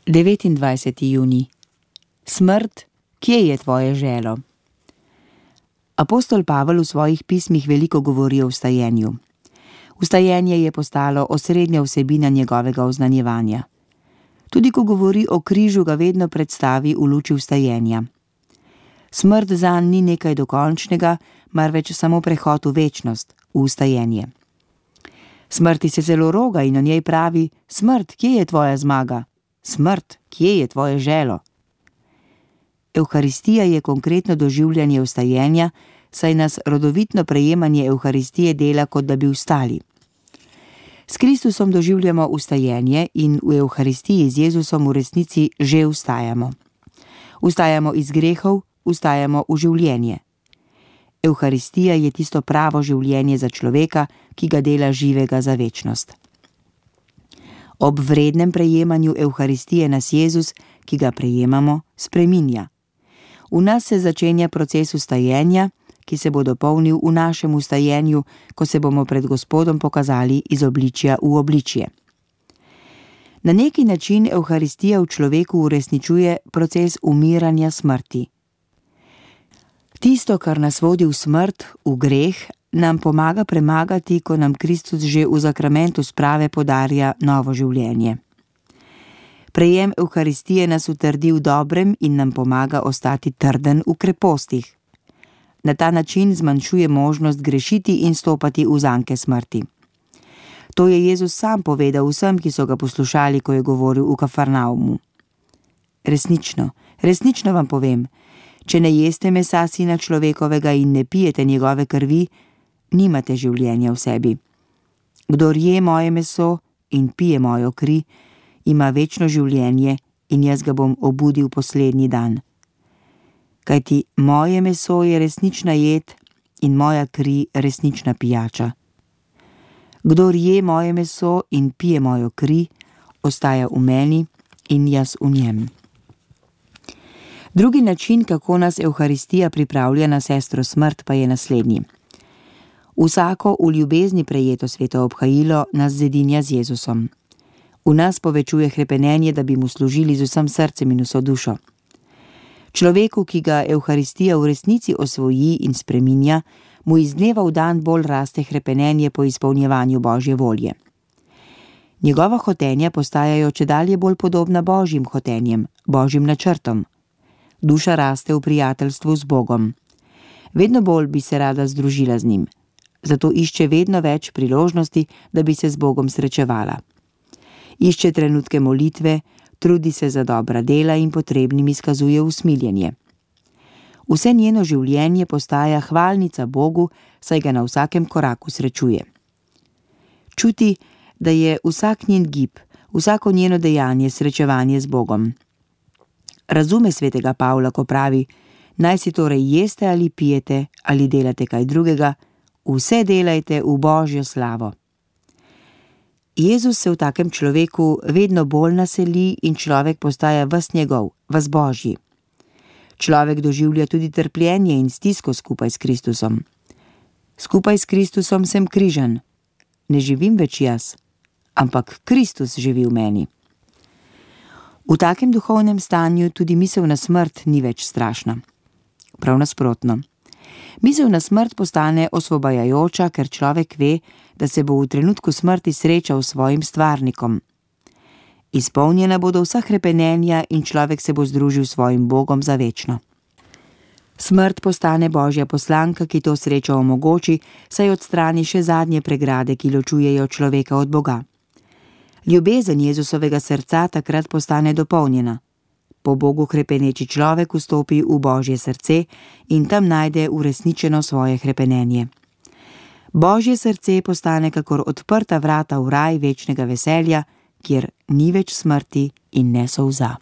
29. junij. Smrt, kje je tvoje želo? Apostol Pavel v svojih pismih veliko govori o vstajenju. Vstajenje je postalo osrednja vsebina njegovega oznanjevanja. Tudi ko govori o križu, ga vedno predstavi v luči vstajenja. Smrt zanj ni nekaj dokončnega, marveč samo prehod v večnost, v vstajenje. Smrti se zelo roga in o njej pravi: smrt, kje je tvoja zmaga? Smrt, kje je tvoje želo? Evharistija je konkretno doživljanje vstajenja, saj nas rodovitno prejemanje Evharistije dela, kot da bi vstali. S Kristusom doživljamo vstajenje in v Evharistiji z Jezusom v resnici že vstajamo. Vstajamo iz grehov, vstajamo v življenje. Evharistija je tisto pravo življenje za človeka, ki ga dela živega za večnost. Ob vrednem prejemanju Evharistije nas Jezus, ki ga prejemamo, spreminja. V nas se začenja proces vstajenja, ki se bo dopolnil v našem vstajenju, ko se bomo pred Gospodom pokazali iz obličja v obličje. Na neki način Evharistija v človeku uresničuje proces umiranja smrti. Tisto, kar nas vodi v smrt, v greh, nam pomaga premagati, ko nam Kristus že v zakramentu sprave podarja novo življenje. Prejem Evharistije nas utrdi v dobrem in nam pomaga ostati trden v krepostih. Na ta način zmanjšuje možnost grešiti in stopati v zanke smrti. To je Jezus sam povedal vsem, ki so ga poslušali, ko je govoril v Kafarnaumu. Resnično vam povem, če ne jeste mesa Sina človekovega in ne pijete njegove krvi, nimate življenja v sebi. Kdor je moje meso in pije mojo kri, ima večno življenje in jaz ga bom obudil poslednji dan. Kajti moje meso je resnična jed in moja kri resnična pijača. Kdor je moje meso in pije mojo kri, ostaja v meni in jaz v njem. Drugi način, kako nas Evharistija pripravlja na sestro smrt, pa je naslednji. Vsako v ljubezni prejeto sveto obhajilo nas zedinja z Jezusom. V nas povečuje hrepenenje, da bi mu služili z vsem srcem in vso dušo. Človeku, ki ga Evharistija v resnici osvoji in spreminja, mu iz dneva v dan bolj raste hrepenenje po izpolnjevanju Božje volje. Njegova hotenja postajajo čedalje bolj podobna Božjim hotenjem, Božjim načrtom. Duša raste v prijateljstvu z Bogom. Vedno bolj bi se rada združila z njim. Zato išče vedno več priložnosti, da bi se z Bogom srečevala. Išče trenutke molitve, trudi se za dobra dela in potrebnim izkazuje usmiljenje. Vse njeno življenje postaja hvalnica Bogu, saj ga na vsakem koraku srečuje. Čuti, da je vsak njen gib, vsako njeno dejanje srečevanje z Bogom. Razume svetega Pavla, ko pravi: naj si torej jeste ali pijete ali delate kaj drugega, vse delajte v Božjo slavo. Jezus se v takem človeku vedno bolj naseli in človek postaja ves njegov, ves Božji. Človek doživlja tudi trpljenje in stisko skupaj s Kristusom. Skupaj s Kristusom sem križan. Ne živim več jaz, ampak Kristus živi v meni. V takem duhovnem stanju tudi misel na smrt ni več strašna. Prav nasprotno. Misel na smrt postane osvobajajoča, ker človek ve, da se bo v trenutku smrti srečal s svojim stvarnikom. Izpolnjena bodo vsa hrepenenja in človek se bo združil s svojim Bogom za večno. Smrt postane Božja poslanka, ki to srečo omogoči, saj odstrani še zadnje pregrade, ki ločujejo človeka od Boga. Ljubezen Jezusovega srca takrat postane dopolnjena. Po Bogu hrepeneči človek vstopi v Božje srce in tam najde uresničeno svoje hrepenenje. Božje srce postane kakor odprta vrata v raj večnega veselja, kjer ni več smrti in ne solza.